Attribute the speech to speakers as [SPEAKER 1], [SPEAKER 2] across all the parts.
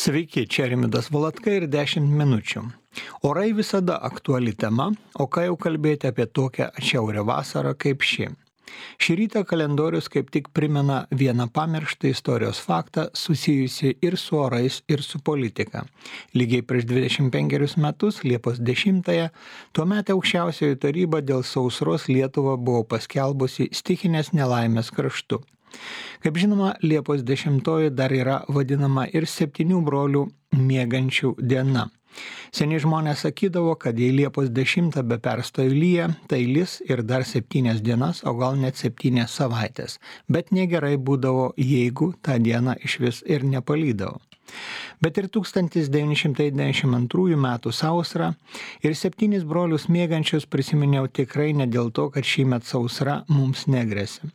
[SPEAKER 1] Sveiki, čia Rimvydas Valatka ir 10 minučių. Orai visada aktuali tema, o ką jau kalbėti apie tokią atšiaurią vasarą kaip ši. Šį rytą kalendorius kaip tik primena vieną pamirštą istorijos faktą susijusi ir su orais, ir su politika. Lygiai prieš 25 metus, Liepos 10-ąją, tuomet aukščiausioji taryba dėl sausros Lietuvą buvo paskelbusi stichinės nelaimės kraštu. Kaip žinoma, Liepos 10 dar yra vadinama ir 7 brolių miegančių diena. Seniai žmonės sakydavo, kad jei Liepos 10 be perstojo lyja, tai lis ir dar 7 dienas, o gal net 7 savaitės. Bet negerai būdavo, jeigu tą dieną iš vis ir nepalydavo. Bet ir 1992 metų sausrą ir 7 brolius miegančius prisiminiau tikrai ne dėl to, kad šįmet sausra mums negresia.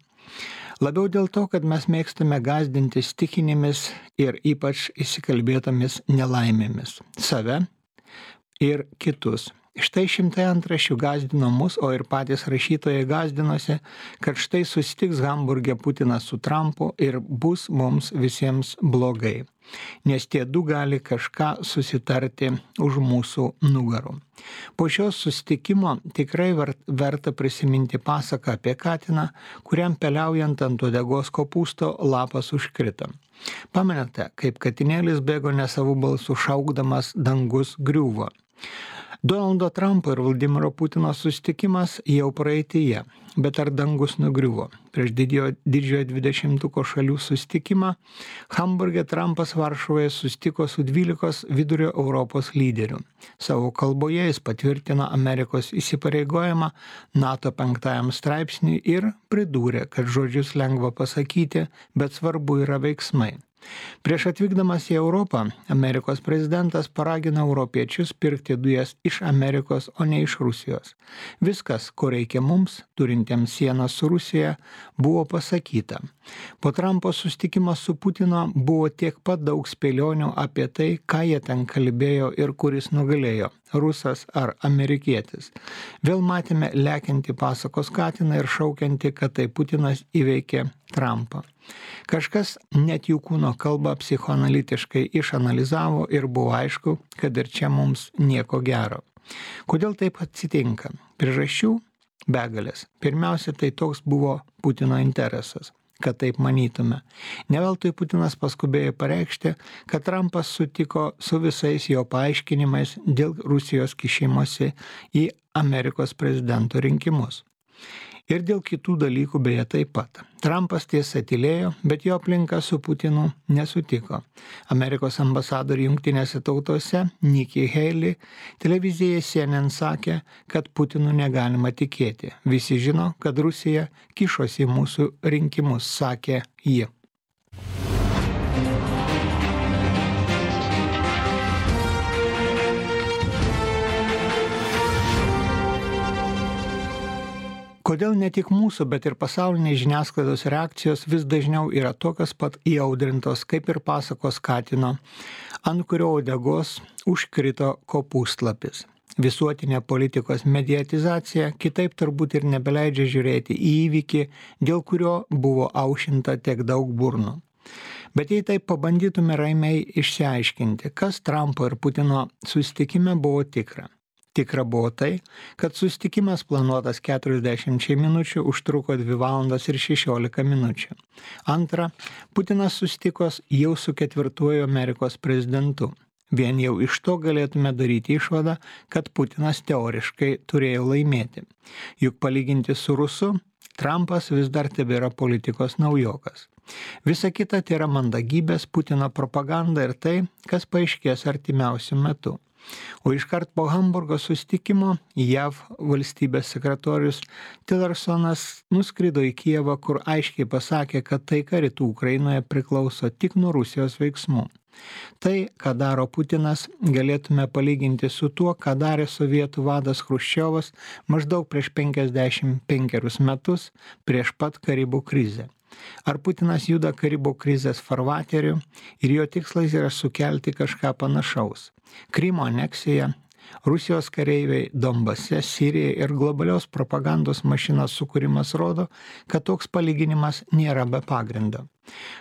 [SPEAKER 1] Labiau dėl to, kad mes mėgstame gąsdinti stichinėmis ir ypač įsikalbėtomis nelaimėmis. Save ir kitus. Štai šimtai antraščių gąsdino mus, o ir patys rašytojai gąsdinosi, kad štai susitiks Hamburge Putinas su Trumpu ir bus mums visiems blogai. Nes tie du gali kažką susitarti už mūsų nugarų. Po šios susitikimo tikrai verta prisiminti pasaką apie katiną, kuriam peliaujant ant uodegos kopūsto lapas užkrito. Pamenate, kaip katinėlis bėgo nesavų balsų šaukdamas dangus griuvo. Donaldo Trumpo ir Vladimiro Putino susitikimas jau praeityje, bet ar dangus nugriuvo? Prieš didžiojo 20-ko šalių susitikimą Hamburge Trumpas Varšuvoje susitiko su 12 vidurio Europos lyderių. Savo kalboje jis patvirtino Amerikos įsipareigojimą NATO 5 straipsniui ir pridūrė, kad žodžius lengva pasakyti, bet svarbu yra veiksmai. Prieš atvykdamas į Europą, Amerikos prezidentas paragino europiečius pirkti dujas iš Amerikos, o ne iš Rusijos. Viskas, ko reikia mums, turintiems sieną su Rusija, buvo pasakyta. Po Trumpo susitikimo su Putino buvo tiek pat daug spėlionių apie tai, ką jie ten kalbėjo ir kuris nugalėjo – rusas ar amerikietis. Vėl matėme lekiantį pasakos katiną ir šaukiantį, kad tai Putinas įveikė Trumpą. Kažkas net jų kūno kalbą psichoanalitiškai išanalizavo ir buvo aišku, kad ir čia mums nieko gero. Kodėl taip atsitinka? Priežasčių begalės. Pirmiausia, tai toks buvo Putino interesas, kad taip manytume. Ne veltui Putinas paskubėjo pareikšti, kad Trumpas sutiko su visais jo paaiškinimais dėl Rusijos kišimosi į Amerikos prezidento rinkimus. Ir dėl kitų dalykų beje taip pat. Trumpas tiesa tylėjo, bet jo aplinka su Putinu nesutiko. Amerikos ambasadorių Jungtinėse tautose Nikki Haley televizijai CNN sakė, kad Putinu negalima tikėti. Visi žino, kad Rusija kišosi į mūsų rinkimus, sakė ji. Kodėl ne tik mūsų, bet ir pasaulinės žiniasklaidos reakcijos vis dažniau yra tokios pat įaudrintos, kaip ir pasakos katino, ant kurio uodegos užkrito kopūstlapis. Visuotinė politikos mediatizacija kitaip turbūt ir nebeleidžia žiūrėti į įvykį, dėl kurio buvo aušinta tiek daug burnų. Bet jei taip pabandytume ramiai išsiaiškinti, kas Trumpo ir Putino susitikime buvo tikra. Tikra buvo tai, kad susitikimas planuotas 40 minučių užtruko 2 valandas ir 16 minučių. Antra, Putinas susitiko jau su 4 Amerikos prezidentu. Vien jau iš to galėtume daryti išvadą, kad Putinas teoriškai turėjo laimėti. Juk palyginti su Rusu, Trumpas vis dar tebėra politikos naujokas. Visa kita tai yra mandagybės, Putino propaganda ir tai, kas paaiškės artimiausiu metu. O iškart po Hamburgo susitikimo JAV valstybės sekretorius Tillersonas nuskrido į Kijevą, kur aiškiai pasakė, kad taika rytų Ukrainoje priklauso tik nuo Rusijos veiksmų. Tai, ką daro Putinas, galėtume palyginti su tuo, ką darė sovietų vadas Chruščiovas maždaug prieš 55 metus prieš pat Karibų krizę. Ar Putinas juda Karibų krizės farvateriu ir jo tikslas yra sukelti kažką panašaus? Krymo aneksija, Rusijos kareiviai Donbase, Sirijoje ir globalios propagandos mašinos sukūrimas rodo, kad toks palyginimas nėra be pagrindo.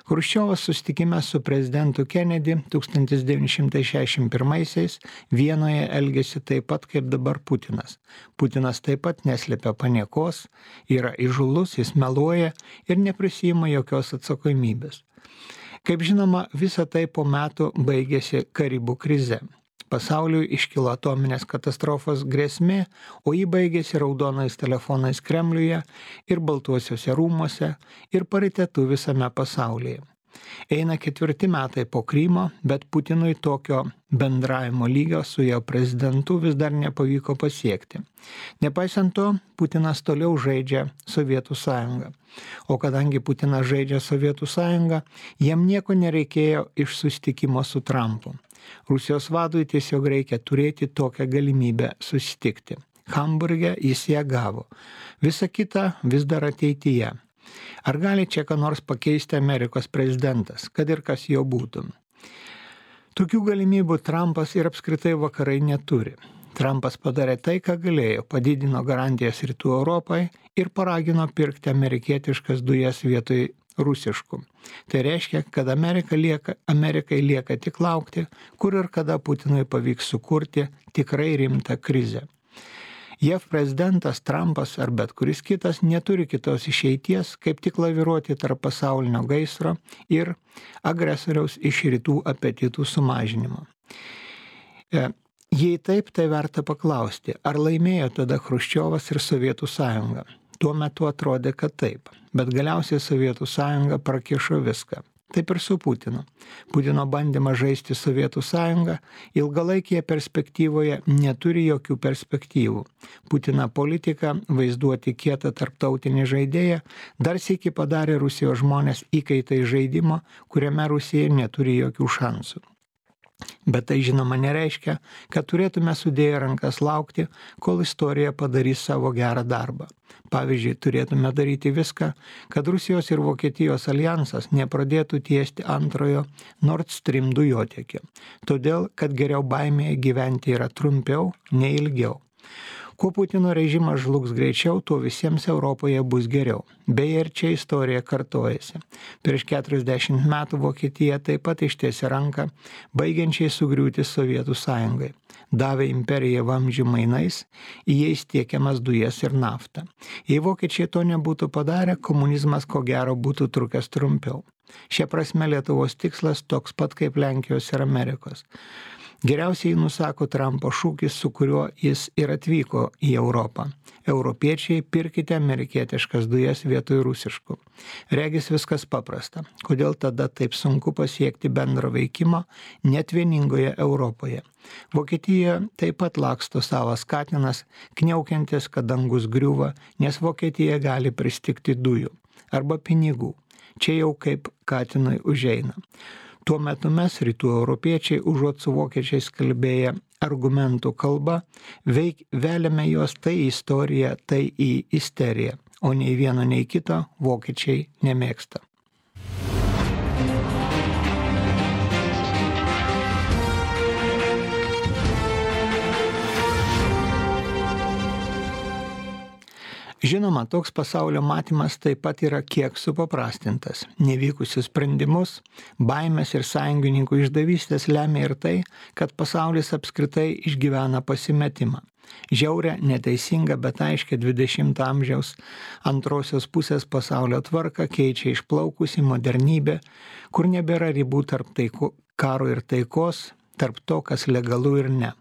[SPEAKER 1] Chruščiovas susitikime su prezidentu Kennedy 1961-aisiais Vienoje elgėsi taip pat kaip dabar Putinas. Putinas taip pat neslėpia paniekos, yra įžūlus, jis meluoja ir neprisiima jokios atsakomybės. Kaip žinoma, visa tai po metų baigėsi Karibų krize. Pasauliui iškilo atominės katastrofos grėsmė, o ji baigėsi raudonais telefonais Kremliuje ir Baltuosiuose rūmuose ir paritetu visame pasaulyje. Eina 4 metai po Krymo, bet Putinui tokio bendravimo lygio su jo prezidentu vis dar nepavyko pasiekti. Nepaisant to, Putinas toliau žaidžia Sovietų sąjungą. O kadangi Putinas žaidžia Sovietų sąjungą, jam nieko nereikėjo iš susitikimo su Trumpu. Rusijos vadui tiesiog reikia turėti tokią galimybę susitikti. Hamburge jis ją gavo. Visa kita vis dar ateityje. Ar gali čia ką nors pakeisti Amerikos prezidentas, kad ir kas jo būtų? Tokių galimybių Trumpas ir apskritai vakarai neturi. Trumpas padarė tai, ką galėjo, padidino garantijas Rytų Europai ir paragino pirkti amerikietiškas dujas vietoj rusiškų. Tai reiškia, kad Amerikai lieka tik laukti, kur ir kada Putinui pavyks sukurti tikrai rimtą krizę. JAV prezidentas Trumpas ar bet kuris kitas neturi kitos išeities, kaip tik laviruoti tarp pasaulinio gaisro ir agresoriaus iš rytų apetitų sumažinimo. Jei taip, tai verta paklausti, ar laimėjo tada Chruščiovas ir Sovietų sąjunga. Tuo metu atrodė, kad taip, bet galiausiai Sovietų sąjunga prakišo viską. Taip ir su Putinu. Putino bandymas žaisti Sovietų sąjungą ilgalaikėje perspektyvoje neturi jokių perspektyvų. Putino politika vaizduoti kietą tarptautinį žaidėją dar sykį padarė Rusijos žmonės įkaitai žaidimo, kuriame Rusija neturi jokių šansų. Bet tai žinoma nereiškia, kad turėtume sudėję rankas laukti, kol istorija padarys savo gerą darbą. Pavyzdžiui, turėtume daryti viską, kad Rusijos ir Vokietijos aljansas nepradėtų tiesti antrojo Nord Stream dujotiekio. Todėl, kad geriau baimėje gyventi yra trumpiau, nei ilgiau. Kuo Putino režimas žlugs greičiau, tuo visiems Europoje bus geriau. Beje, ir čia istorija kartojasi. Prieš 40 metų Vokietija taip pat ištiesė ranką, baigiančiai sugriūti Sovietų sąjungai. Davė imperiją vamzdžių mainais, į jais tiekiamas dujas ir naftą. Jei vokiečiai to nebūtų padarę, komunizmas ko gero būtų trukęs trumpiau. Šia prasme Lietuvos tikslas toks pat kaip Lenkijos ir Amerikos. Geriausiai nusako Trumpo šūkis, su kuriuo jis ir atvyko į Europą. Europiečiai, pirkite amerikietiškas dujas vietoj rusiškų. Regis viskas paprasta. Kodėl tada taip sunku pasiekti bendro veikimo net vieningoje Europoje? Vokietija taip pat laksto savas katinas, kniaukiantis, kad dangus griūva, nes Vokietija gali pristigti dujų arba pinigų. Čia jau kaip katinui užeina. Tuo metu mes, rytų europiečiai, užuot su vokiečiais kalbėję argumentų kalba, veliame juos tai į istoriją, tai į isteriją, o nei vieno, nei kito vokiečiai nemėgsta. Žinoma, toks pasaulio matymas taip pat yra kiek supaprastintas. Nevykusius sprendimus, baimės ir sąjungininkų išdavystės lemia ir tai, kad pasaulis apskritai išgyvena pasimetimą. Žiaurę, neteisingą, bet aiškiai 20 amžiaus antrosios pusės pasaulio tvarką keičia išplaukusi modernybė, kur nebėra ribų tarp karo ir taikos, tarp to, kas legalu ir ne.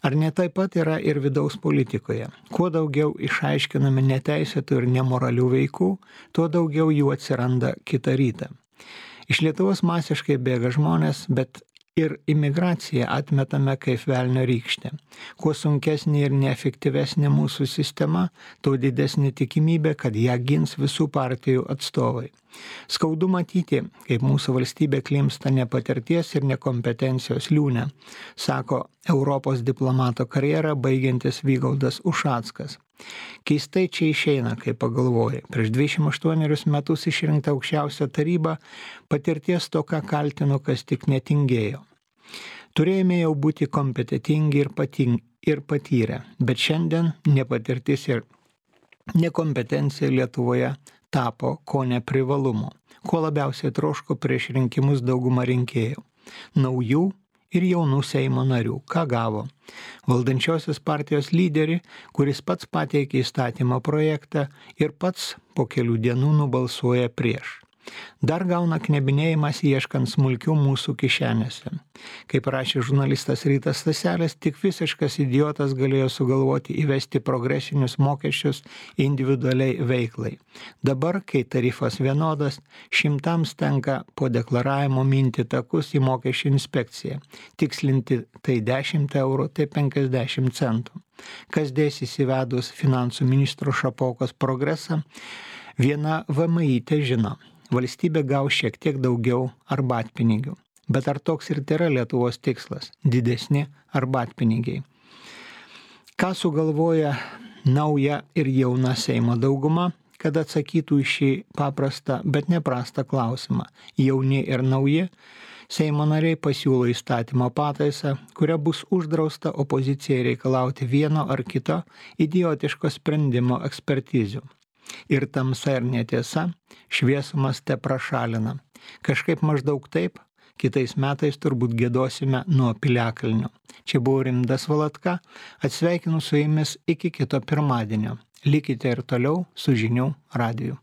[SPEAKER 1] Ar ne taip pat yra ir vidaus politikoje? Kuo daugiau išaiškiname neteisėtų ir nemoralių veikų, tuo daugiau jų atsiranda kitą rytą. Iš Lietuvos masiškai bėga žmonės, bet ir imigraciją atmetame kaip velnio rykštę. Kuo sunkesnė ir neefektyvesnė mūsų sistema, tuo didesnė tikimybė, kad ją gins visų partijų atstovai. Skaudu matyti, kaip mūsų valstybė klimpsta nepatirties ir nekompetencijos liūne, sako Europos diplomato karjerą baigiantis Vygaudas Ušackas. Keistai čia išeina, kai pagalvoji. Prieš 28 metus išrinkta aukščiausia taryba patirties toką kaltino, kas tik netingėjo. Turėjome jau būti kompetentingi ir patyrę, bet šiandien nepatirtis ir nekompetencija Lietuvoje tapo ko neprivalumu, ko labiausiai troško prieš rinkimus dauguma rinkėjų - naujų ir jaunų Seimo narių. Ką gavo? Valdančiosios partijos lyderį, kuris pats pateikė įstatymo projektą ir pats po kelių dienų nubalsuoja prieš. Dar gauna knebinėjimas ieškant smulkių mūsų kišenėse. Kaip rašė žurnalistas Rytas Staselis, tik visiškas idiotas galėjo sugalvoti įvesti progresinius mokesčius individualiai veiklai. Dabar, kai tarifas vienodas, šimtams tenka po deklaravimo minti takus į mokesčių inspekciją. Tikslinti tai 10 eurų, tai 50 centų. Kas dėsis įvedus finansų ministro Šapokos progresą, viena VMI žino. Valstybė gaus šiek tiek daugiau arbatpinigių. Bet ar toks ir yra Lietuvos tikslas - didesni arbatpinigiai? Ką sugalvoja nauja ir jauna Seimo dauguma, kad atsakytų į šį paprastą, bet neprastą klausimą? Jauni ir nauji Seimo nariai pasiūlo įstatymo pataisą, kuria bus uždrausta opozicijai reikalauti vieno ar kito idiotiško sprendimo ekspertizių. Ir tamsa ir netiesa, šviesumas te prašalina. Kažkaip maždaug taip, kitais metais turbūt giedosime nuo piliakalnio. Čia buvo Rimvydas Valatka, atsveikinu su jumis iki kito pirmadienio. Likite ir toliau su Žinių radiju.